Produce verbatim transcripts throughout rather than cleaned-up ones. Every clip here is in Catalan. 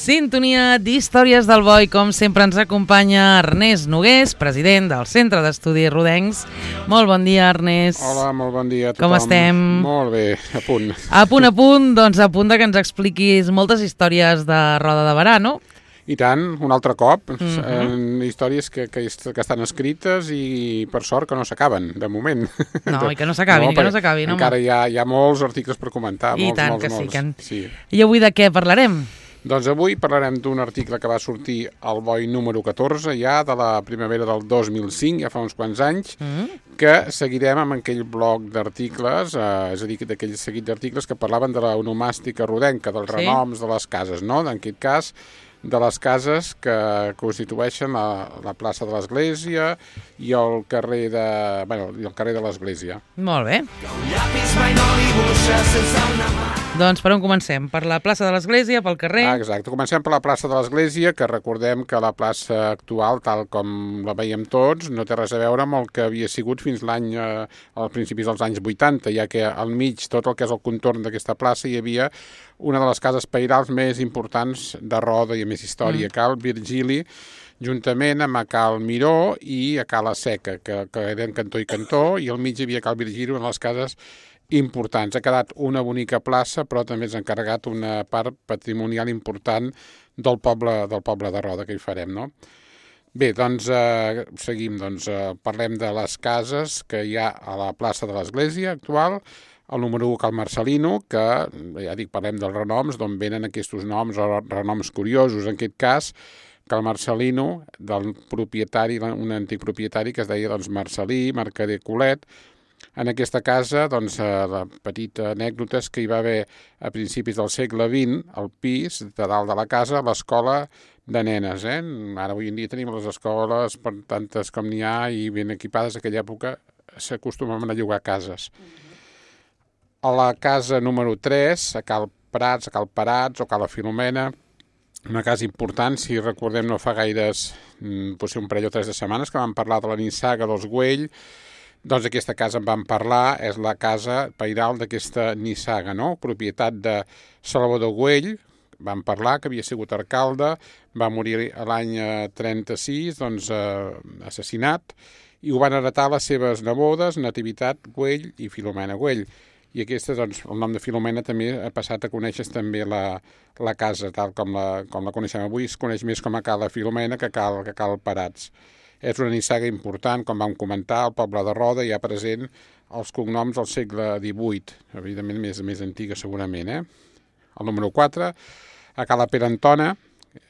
Sintonia d'Històries del Boi. Com sempre ens acompanya Ernest Nogués, president del Centre d'Estudis Rodencs. Molt bon dia, Ernest. Hola, molt bon dia a tothom. Com estem? Molt bé, a punt. A punt, a punt, doncs a punt de que ens expliquis moltes històries de Roda de Berà, no? I tant, un altre cop. Mhm. eh, històries que, que, que estan escrites i per sort que no s'acaben, de moment. No, i que no s'acabin, i que no perquè s'acabin, home. Encara hi ha, hi ha molts articles per comentar. I molts, tant molts, que sí, molts. que en- Sí. I avui de què parlarem? Doncs avui parlarem d'un article que va sortir al Boi número catorze, ja de la primavera del dos mil cinc, ja fa uns quants anys, Mm? que seguirem amb aquell bloc d'articles, eh, és a dir, d'aquell seguit d'articles que parlaven de la onomàstica rodenca, dels Sí. renoms de les cases, no? En aquest cas, de les cases que constitueixen la, la plaça de l'Església i el carrer de, bueno, i el carrer de l'Església. Molt bé. Doncs per on comencem? Per la plaça de l'Església, pel carrer? Ah, exacte. Comencem per la plaça de l'Església, que recordem que la plaça actual, tal com la veiem tots, no té res a veure amb el que havia sigut fins l'any, eh, als principis dels anys vuitanta, ja que al mig, tot el que és el contorn d'aquesta plaça, hi havia una de les cases pairals més importants de Roda i a més història, mm. Cal Virgili, juntament amb a Cal Miró i a Cala Seca, que, que eren cantó i cantó, i al mig hi havia Cal Virgili, una de les cases importants. Ha quedat una bonica plaça, però també s'ha encarregat una part patrimonial important del poble, del poble de Roda, que hi farem, no? Bé, doncs eh, seguim, doncs eh, parlem de les cases que hi ha a la plaça de l'Església actual. El número u, Cal Marcelino, que, ja dic, parlem dels renoms, d'on venen aquests noms o renoms curiosos. En aquest cas, Cal Marcelino, del propietari, un antic propietari que es deia doncs, Marcelí, Mercader Colet. En aquesta casa, doncs, la petita anècdota és que hi va haver a principis del segle vint, al pis de dalt de la casa, l'escola de nenes. Eh? Ara avui en dia tenim les escoles, per tantes com n'hi ha, i ben equipades. En aquella època s'acostumaven a llogar cases. A la casa número tres, a Cal Prats, a Cal Parats o Cala Filomena, una casa important, si recordem no fa gaires, potser un parell o tres de setmanes, que vam parlar de la nissaga dels Güell. Doncs aquesta casa en vam parlar, és la casa pairal d'aquesta nissaga, no? Propietat de Salvador Güell, vam parlar que havia sigut alcalde, va morir l'any trenta-sis, doncs eh, assassinat, i ho van heretar les seves nebodes, Nativitat Güell i Filomena Güell. I aquesta, doncs, el nom de Filomena també ha passat a conèixer també la, la casa, tal com la, com la coneixem avui, es coneix més com a Cala Filomena que Cal, que Cal Parats. És una nissaga important, com vam comentar, el poble de Roda hi ha present els cognoms del segle divuit, evidentment més, més antiga segurament. Eh? El número quatre, a Cala Perantona,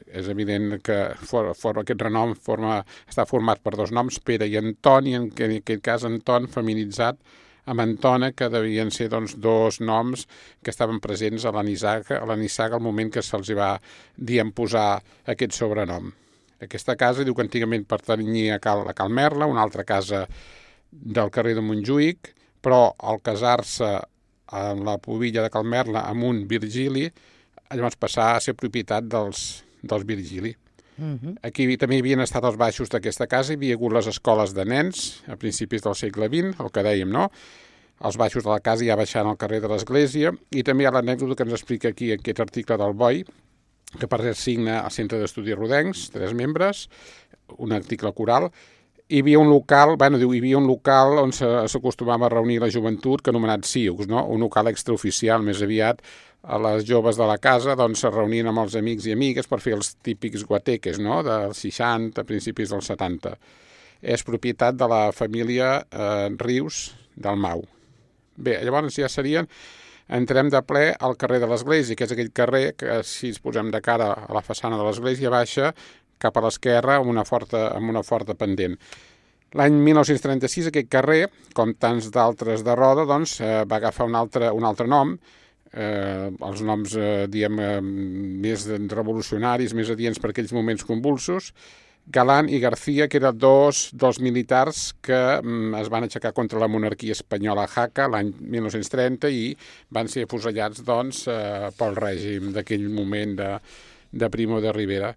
és evident que for, for, aquest renom forma, està format per dos noms, Pere i Anton, i en, en aquest cas Anton feminitzat amb Antona, que devien ser doncs, dos noms que estaven presents a la nissaga, a la nissaga al moment que se'ls va dir en posar aquest sobrenom. Aquesta casa diu que antigament pertanyia a Cal, a Cal Merla, una altra casa del carrer de Montjuïc, però al casar-se en la pobilla de Cal Merla amb un Virgili, llavors passar a ser propietat dels, dels Virgili. Uh-huh. Aquí també hi havien estat els baixos d'aquesta casa, hi havia hagut les escoles de nens a principis del segle vint, el que dèiem, no? Els baixos de la casa ja baixant al carrer de l'Església, i també hi ha l'anècdota que ens explica aquí aquest article del Boi, que per cert signa el Centre d'Estudis Rodencs, tres membres, un article coral. Hi havia un local, bueno, diu, hi havia un local on s'acostumava a reunir la joventut, que anomenat Siux, no? Un local extraoficial, més aviat, a les joves de la casa doncs, se reunien amb els amics i amigues per fer els típics guateques, no? Dels seixanta, principis dels setanta. És propietat de la família eh, Rius del Mau. Bé, llavors ja serien... Entrem de ple al carrer de l'Església, que és aquell carrer que, si ens posem de cara a la façana de l'Església, baixa cap a l'esquerra amb una forta, amb una forta pendent. L'any mil nou-cents trenta-sis aquest carrer, com tants d'altres de Roda, doncs, eh, va agafar un altre, un altre nom, eh, els noms eh, diem, eh, més revolucionaris, més adients per aquells moments convulsos, Galán i García, que eren dos dels militars que mm, es van aixecar contra la monarquia espanyola a Jaca l'any mil nou-cents trenta i van ser afusellats doncs, eh, pel règim d'aquell moment de, de Primo de Rivera.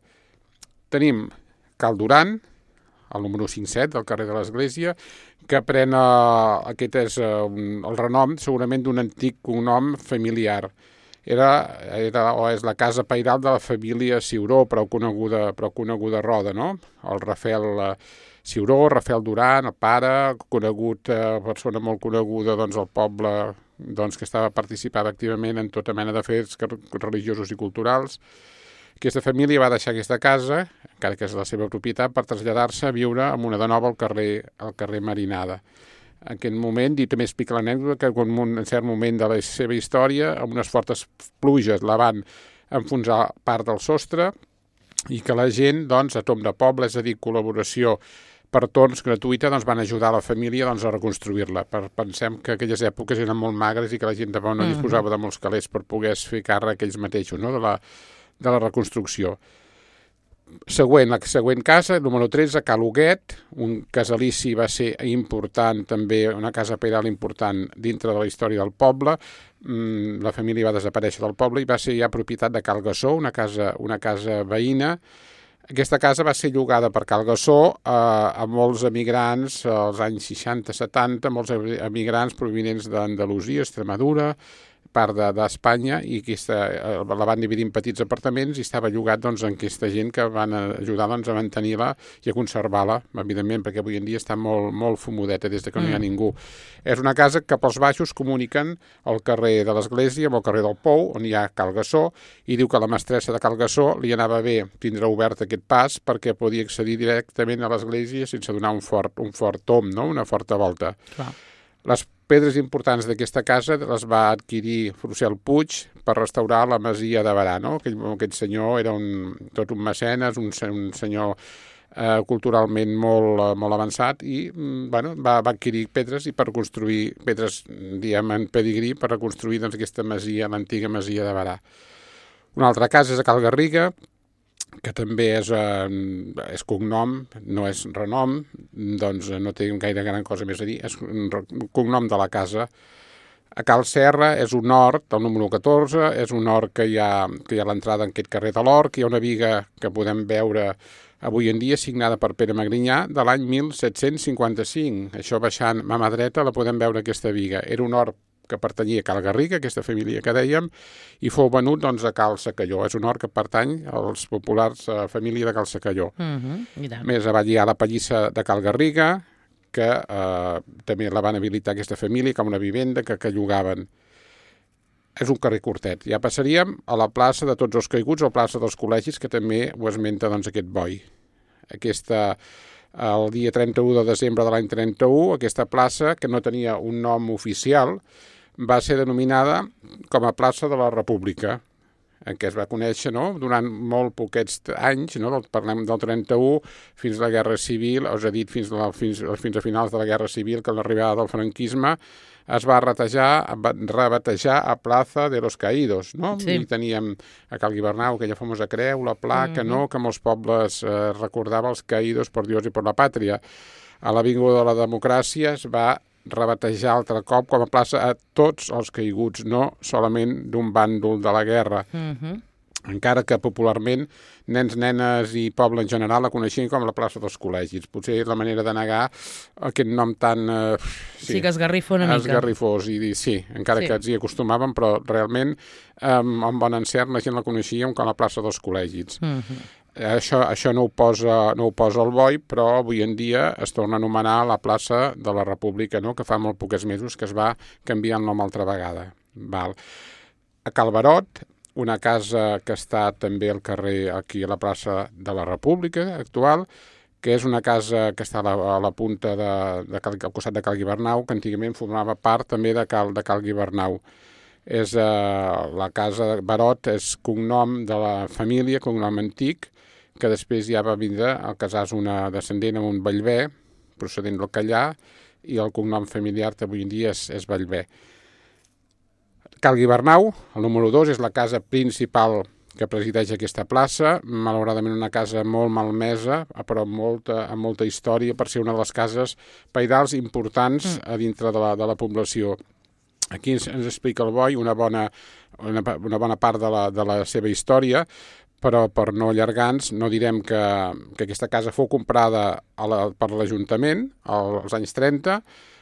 Tenim Cal Duran, el número cinc-set del carrer de l'Església, que pren eh, aquest és eh, un, el renom segurament d'un antic cognom familiar. era, era o és la casa pairal de la família Ciuró, prou coneguda, prou coneguda a Roda, no? El Rafael Ciuró, Rafael Duran, el pare, conegut, eh, persona molt coneguda doncs, al poble, doncs, que estava participant activament en tota mena de fets religiosos i culturals. Aquesta família va deixar aquesta casa, encara que és la seva propietat, per traslladar-se a viure amb una de nova al carrer, al carrer Marinada. En aquest moment, i també explica l'anècdota, que en un cert moment de la seva història, amb unes fortes pluges la van enfonsar part del sostre i que la gent, doncs, a tom de poble, és a dir, col·laboració per torns gratuïta, doncs van ajudar la família doncs, a reconstruir-la. Per, pensem que aquelles èpoques eren molt magres i que la gent de no disposava de molts calés per poder fer càrrec ells mateixos, no? de, la, de la reconstrucció. Següent, la següent casa, número tretze, Cal Huguet, un casalici va ser important, també una casa pairal important dintre de la història del poble. Mm, la família va desaparèixer del poble i va ser ja propietat de Cal Gassó, una casa, una casa veïna. Aquesta casa va ser llogada per Cal Gassó eh, a molts emigrants als anys seixanta setanta, molts emigrants provinents d'Andalusia, Extremadura, part d'Espanya, i aquesta, la van dividir en petits apartaments i estava llogat doncs, en aquesta gent que van ajudar doncs, a mantenir-la i a conservar-la, evidentment, perquè avui en dia està molt, molt fumudeta des de que no hi ha ningú. És una casa que pels baixos comuniquen el carrer de l'Església amb el carrer del Pou, on hi ha Cal Gassó, i diu que la mestressa de Cal Gassó li anava bé tindre obert aquest pas perquè podia accedir directament a l'Església sense donar un fort, un fort tom, no? Una forta volta. Clar. Les pedres importants d'aquesta casa les va adquirir Frucel Puig per restaurar la masia de Berà, no? Aquell, aquell senyor era un, tot un mecenes, un, un senyor eh, culturalment molt, molt avançat i bueno, va, va adquirir pedres i per construir pedres, diguem, en pedigrí per reconstruir doncs, aquesta masia, l'antiga masia de Berà. Una altra casa és a Cal Garriga, que també és, eh, és cognom, no és renom, doncs no té gaire gran cosa més a dir, és un cognom de la casa. A Cal Serra és un hort, el número catorze, és un hort que hi ha, que hi ha a l'entrada en aquest carrer de l'Hort, que hi ha una viga que podem veure avui en dia signada per Pere Magrinyà de l'any mil set-cents cinquanta-cinc. Això baixant a mà dreta la podem veure aquesta viga. Era un hort que pertanyia a Cal Garriga, aquesta família que dèiem, i fou venut doncs, a Cal Secalló. És un hort que pertany als populars a família de Cal Secalló. Uh-huh, Més avall hi ha la pallissa de Cal Garriga, que eh, també la van habilitar aquesta família com una vivenda que, que llogaven. És un carrer curtet. Ja passaríem a la plaça de Tots els Caiguts, o plaça dels Col·legis, que també ho esmenta doncs, aquest boi. Aquesta... El dia trenta-u de desembre de l'any trenta-u, aquesta plaça, que no tenia un nom oficial, va ser denominada com a plaça de la República, en què es va conèixer no? Durant molt poquets anys, no? Parlem del trenta-u fins a la Guerra Civil, us he dit fins a, fins, fins a finals de la Guerra Civil, que amb l'arribada del franquisme es va rebatejar, rebatejar a Plaza de los Caídos, no? Sí. I teníem a Cal Guibernau aquella famosa creu, la placa, mm-hmm. no? Que molts pobles eh, recordava els caídos per Dios i per la pàtria. A l'Avinguda de la Democràcia es va rebatejar altre cop com a plaça a tots els caiguts, no solament d'un bàndol de la guerra. Mm-hmm. Encara que popularment nens, nenes i poble en general la coneixien com la plaça dels Col·legis. Potser és la manera de negar aquest nom tan... Eh, sí, sí, que esgarrifa una mica. Esgarrifós, i dir, sí, encara sí. que ens hi acostumàvem, però realment eh, amb bon encert la gent la coneixia com la plaça dels Col·legis. Mm-hmm. Això, això no ho posa, no ho posa el boi, però avui en dia es torna a anomenar la plaça de la República, no? Que fa molt pocs mesos que es va canviar el nom altra vegada. Val. A Cal Barot, una casa que està també al carrer, aquí a la plaça de la República actual, que és una casa que està a la, a la punta de, de Cal, al costat de Cal Guibernau, que antigament formava part també de Cal, de Cal Guibernau. És, eh, la casa de Barot és cognom de la família, cognom antic, que després ja va vindre a casar-se una descendent amb un Bellver, procedent del Callà, i el cognom familiar avui en dia és, és Bellver. Cal Guibernau, el número dos, és la casa principal que presideix aquesta plaça, malauradament una casa molt malmesa, però amb molta, amb molta història, per ser una de les cases pairals importants a dintre de la, de la població. Aquí ens, ens explica el boi una bona, una, una bona part de la, de la seva història, però per no allargar-nos, no direm que, que aquesta casa fou comprada a la, per l'Ajuntament als anys trenta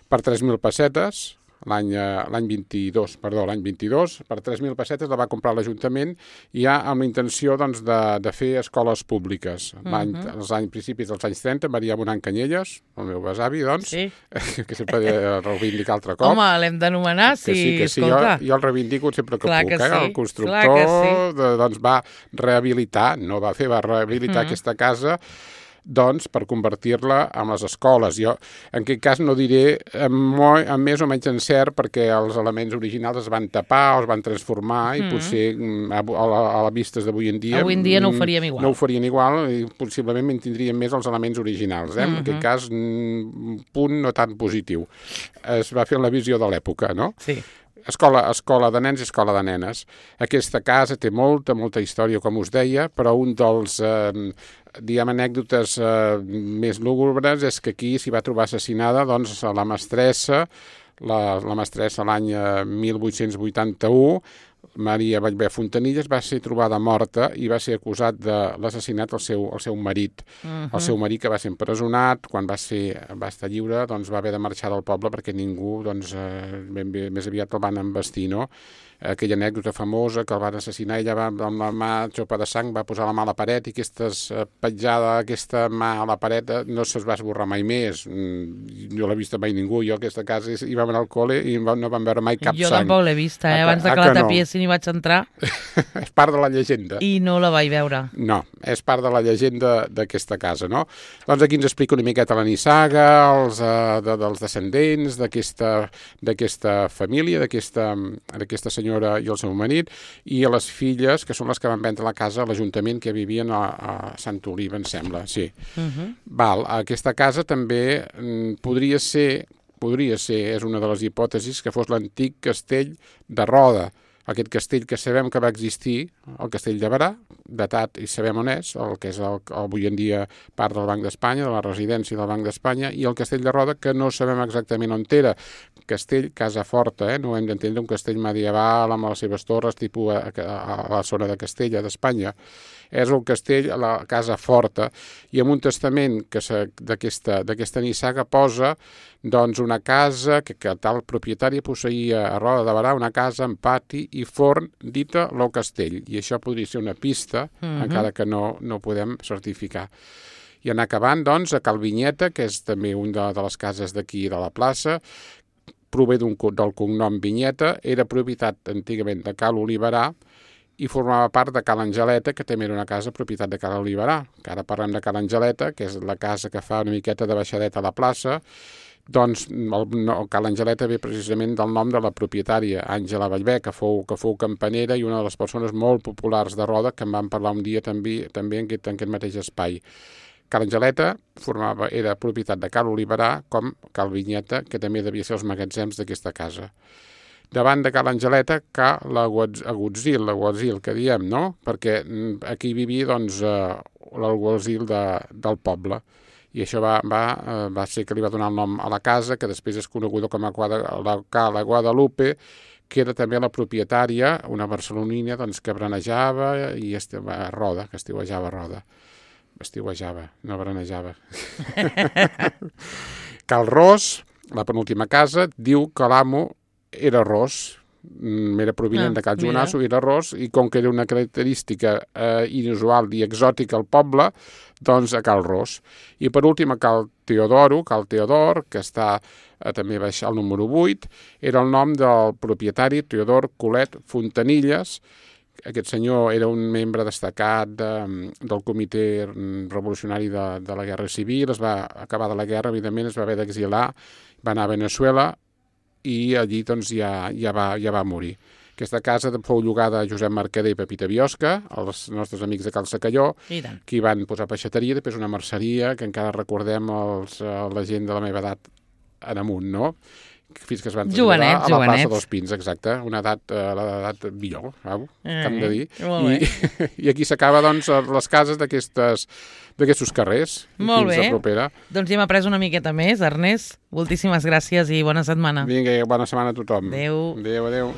per tres mil pessetes, l'any l'any vint-i-dos, perdó, l'any vint-i-dos, per tres mil pessetes la va comprar l'Ajuntament i ja amb la intenció doncs, de, de fer escoles públiques. L'any, uh -huh. als anys, principis dels anys trenta, Maria Bonant Canyelles, el meu besavi, doncs, sí. que sempre he reivindicat altre cop. Home, l'hem d'anomenar, sí, que sí, que sí. Escolta. Jo, jo el reivindico sempre que clar puc. Que eh? sí. El constructor sí. de, doncs, va rehabilitar, no va fer, va rehabilitar uh -huh. aquesta casa doncs, per convertir-la en les escoles. Jo, en aquest cas, no diré amb, amb més o menys encert, perquè els elements originals es van tapar o es van transformar i mm. potser a, a, a la vistes d'avui en dia... Avui en dia no ho faríem igual. No ho farien igual i possiblement mantindríem més els elements originals. Eh? Mm -hmm. En aquest cas, un punt no tan positiu. Es va fer en la visió de l'època, no? Sí. Escola, escola de nens i escola de nenes. Aquesta casa té molta, molta història, com us deia, però un dels... Eh, diguem, anècdotes eh, més lúgubres és que aquí s'hi va trobar assassinada doncs, la mestressa, la, la mestressa l'any mil vuit-cents vuitanta-u, Maria Ballbé Fontanilles, va ser trobada morta i va ser acusat de l'assassinat al seu, al seu marit. Uh-huh. El seu marit, que va ser empresonat, quan va, ser, va estar lliure, doncs va haver de marxar del poble perquè ningú, doncs, eh, ben bé, més aviat el van embestir, no? Aquella anècdota famosa que el van assassinar, ella va, amb la mà xopa de sang, va posar la mà a la paret i aquesta petjada, aquesta mà a la paret no se'ls va esborrar mai més. No l'ha vista mai ningú. Jo a aquesta casa hi vam anar al col·le i no vam veure mai cap jo sang. Jo tampoc l'he vista, eh? Abans de que la tapiessin hi vaig entrar. És part de la llegenda. I no la vaig veure. No, és part de la llegenda d'aquesta casa, no? Doncs aquí ens explica una miqueta la nissaga, els, uh, de, dels descendents d'aquesta família, d'aquesta senyora i el seu marit, i a les filles, que són les que van vendre la casa a l'Ajuntament, que vivien a, a Sant Oliva, em sembla, sí. Uh-huh. Val, aquesta casa també mm, podria ser, podria ser, és una de les hipòtesis, que fos l'antic castell de Roda, aquest castell que sabem que va existir, el castell de Berà, datat i sabem on és, el que és el, avui en dia part del Banc d'Espanya, de la residència del Banc d'Espanya, i el castell de Roda, que no sabem exactament on era. Castell, casa forta, eh? No hem d'entendre un castell medieval amb les seves torres, tipus a, a, a la zona de Castella, d'Espanya. És el castell, la casa forta, i en un testament d'aquesta nissaga posa doncs, una casa que, que tal propietari posseïa a Roda de Berà, una casa amb pati i forn dita lo castell, i això podria ser una pista, uh-huh. encara que no, no podem certificar. I anar acabant, doncs, a Cal Vinyeta, que és també una de, de les cases d'aquí de la plaça, prové d'un, del cognom Vinyeta, era propietat antigament de Cal Oliverà i formava part de Cal Angeleta, que també era una casa propietat de Cal Oliverà, que ara parlem de Cal Angeleta, que és la casa que fa una miqueta de baixadeta a la plaça. Doncs el, no, Cal Angeleta ve precisament del nom de la propietària, Àngela Ballbé, que fou, que fou campanera i una de les persones molt populars de Roda, que en vam parlar un dia també, també en, aquest, en aquest mateix espai. Cal Angeleta formava, era propietat de Cal Oliverà, com Cal Vinyeta, que també devia ser els magatzems d'aquesta casa. Davant de Cal Angeleta, Cal Agutzil, l'Agutzil que diem, no? Perquè aquí vivia doncs, l'Agutzil de, del poble. I això va, va, va ser que li va donar el nom a la casa, que després és coneguda com a la Cala Guadalupe, que era també la propietària, una barcelonina doncs, que branejava i estava a Roda, que estiuejava a Roda. Estiuejava, no branejava. Cal Ros, la penúltima casa, diu que l'amo era ros, era provinent ah, de Cal Jonasso, era ros, i com que era una característica eh, inusual i exòtica al poble, doncs a Cal Ros. I per últim a Cal Teodoro, Cal Teodor, que està eh, també baix al número vuit, era el nom del propietari Teodor Colet Fontanilles. Aquest senyor era un membre destacat de, del comitè revolucionari de, de la Guerra Civil, es va acabar de la guerra, evidentment, es va haver d'exilar, va anar a Veneçuela, i allí doncs, ja, ja, va, ja va morir. Aquesta casa fou llogada a Josep Mercader i Pepita Biosca, els nostres amics de Cal Secalló, que hi van posar peixateria, després una merceria, que encara recordem els, la gent de la meva edat en amunt, no? Fins que es van traslladar a la jovenets. plaça dels Pins, exacte, una edat, uh, l'edat millor, eh, que hem de dir. I, I aquí s'acaba, doncs, les cases d'aquestes d'aquests carrers. Molt fins bé. A propera. Doncs ja hem après una miqueta més, Ernest. Moltíssimes gràcies i bona setmana. Vinga, bona setmana a tothom. Adéu. Adéu, adéu.